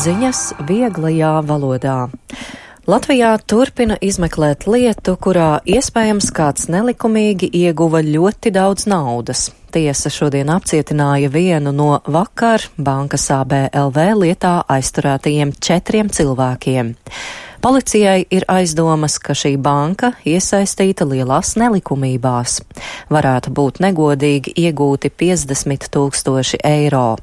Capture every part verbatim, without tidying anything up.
ziņas vieglajā valodā. Latvijā turpina izmeklēt lietu, kurā iespējams kāds nelikumīgi ieguva ļoti daudz naudas. Tiesa šodien apcietināja vienu no vakar bankas A B L V lietā aizturētajiem četriem cilvēkiem. Policijai ir aizdomas, ka šī banka iesaistīta lielās nelikumībās. Varētu būt negodīgi iegūti piecdesmit tūkstoši eiro.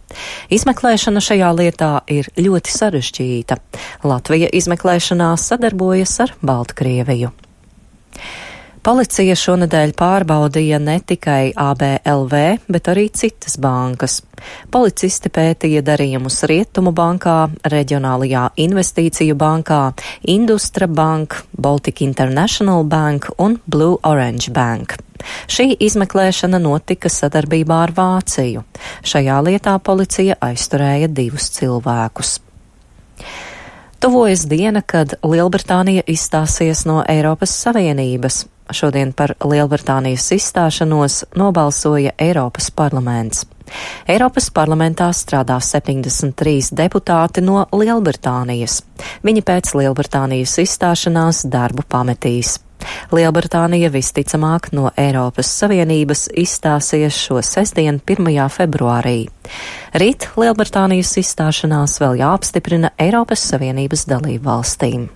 Izmeklēšana šajā lietā ir ļoti sarežģīta. Latvija izmeklēšanā sadarbojas ar Baltkrieviju. Policija šonedēļ pārbaudīja ne tikai A B L V, bet arī citas bankas. Policisti pētīja darījumus Rietumu bankā, Reģionālajā investīciju bankā, Industra Bank, Baltic International Bank un Blue Orange Bank. Šī izmeklēšana notika sadarbībā ar Vāciju. Šajā lietā policija aizturēja divus cilvēkus. Tuvojas diena, kad Lielbritānija izstāsies no Eiropas Savienības. Šodien par Lielbritānijas izstāšanos nobalsoja Eiropas parlaments. Eiropas parlamentā strādā septiņdesmit trīs deputāti no Lielbritānijas. Viņi pēc Lielbritānijas izstāšanās darbu pametīs. Lielbritānija visticamāk no Eiropas Savienības izstāsies šo sestdienu, pirmajā februārī. Rīt Lielbritānijas izstāšanās vēl jāapstiprina Eiropas Savienības dalību valstīm.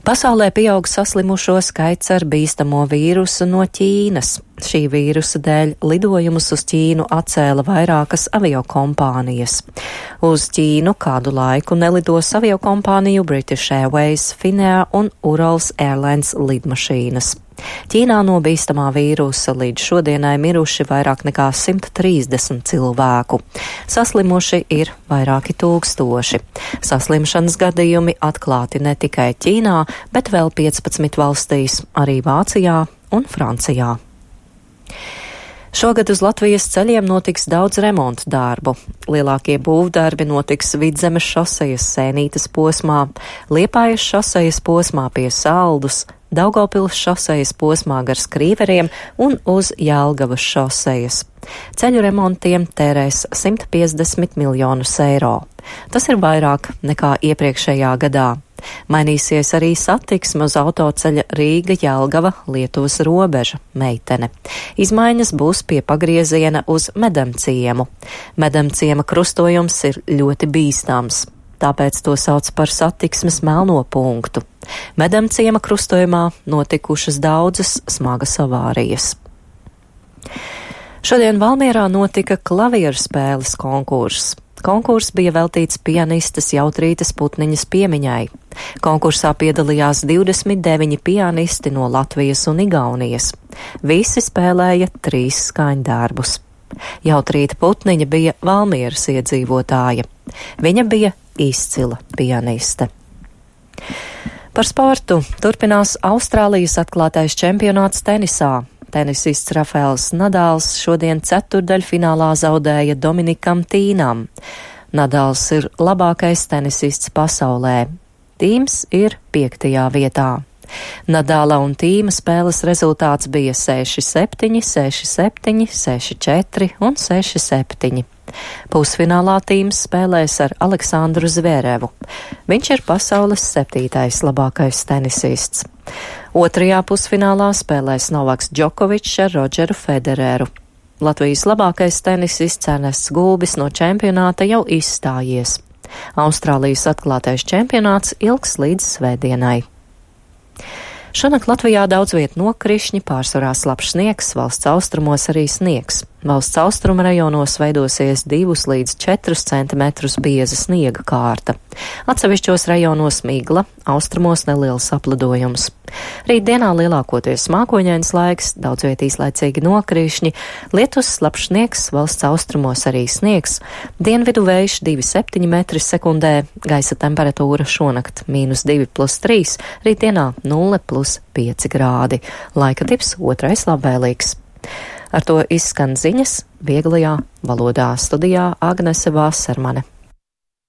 Pasaulē pieaug saslimušo skaits ar bīstamo vīrusu no Ķīnas. Šī vīrusa dēļ lidojumus uz Ķīnu atcēla vairākas aviokompānijas. Uz Ķīnu kādu laiku nelidos aviokompāniju British Airways, Finnair un Urals Airlines lidmašīnas. Ķīnā no bīstamā vīrusa līdz šodienai miruši vairāk nekā simt trīsdesmit cilvēku. Saslimuši ir vairāki tūkstoši. Saslimšanas gadījumi atklāti ne tikai Ķīnā, bet vēl piecpadsmit valstīs, arī Vācijā un Francijā. Šogad uz Latvijas ceļiem notiks daudz remontu darbu. Lielākie būvdarbi notiks Vidzemes šosejas Sēnītes posmā, Liepājas šosejas posmā pie Saldus, Daugavpils šosejas posmā gar Skrīveriem un uz Jelgavas šosejas. Ceļu remontiem tērēs simt piecdesmit miljonus eiro. Tas ir vairāk nekā iepriekšējā gadā. Mainīsies arī satiksme uz autoceļa Rīga-Jelgava Lietuvas robeža Meitene. Izmaiņas būs pie pagrieziena uz Medemciemu. Medemciema krustojums ir ļoti bīstams, tāpēc to sauc par satiksmes melno punktu. Medemciema krustojumā notikušas daudzas smagas avārijas. Šodien Valmierā notika klavieru spēles konkurss. Konkurss bija veltīts pianistes Jautrītes Putniņas piemiņai. Konkursā piedalījās divdesmit deviņi pianisti no Latvijas un Igaunijas. Visi spēlēja trīs skaņdarbus. Jautrīte Putniņa bija Valmieras iedzīvotāja. Viņa bija izcila pianiste. Par sportu turpinās Austrālijas atklātais čempionāts tenisā. Tenisists Rafaels Nadals šodien ceturdaļfinālā zaudēja Dominikam Tīnam. Nadals ir labākais tenisists pasaulē. Tīms ir piektajā vietā. Nadala un Tīma spēles rezultāts bija seši septiņi, seši septiņi, seši četri un seši septiņi. Pusfinālā Tīms spēlēs ar Aleksandru Zverevu. Viņš ir pasaules septītais labākais tenisists. Otrajā pusfinālā spēlēs Novaks Džokovičs ar Rodžeru Federeru. Latvijas labākais tenisists Ernests Gulbis no čempionāta jau izstājies. Austrālijas atklātais čempionāts ilgs līdz svētdienai. Šonakt Latvijā daudz viet nokrišņi, pārsvarā slapjš sniegs, valsts austrumos arī sniegs. Valsts austruma rajonos veidosies divus līdz četrus centimetrus bieza sniega kārta. Atsevišķos rajonos migla, austrumos neliels aplidojums. Rītdienā lielākoties mākoņains laiks, daudz viet īslaicīgi nokrišņi, lietus, slapjš sniegs, valsts austrumos arī sniegs, dienvidu vējš divi septiņi metri sekundē, gaisa temperatūra šonakt mīnus divi plus trīs, rītdienā nulle plus pieci grādi. Laika tips otrais labvēlīgs. Ar to izskan ziņas vieglajā valodā. Studijā Agnese Vāsermane.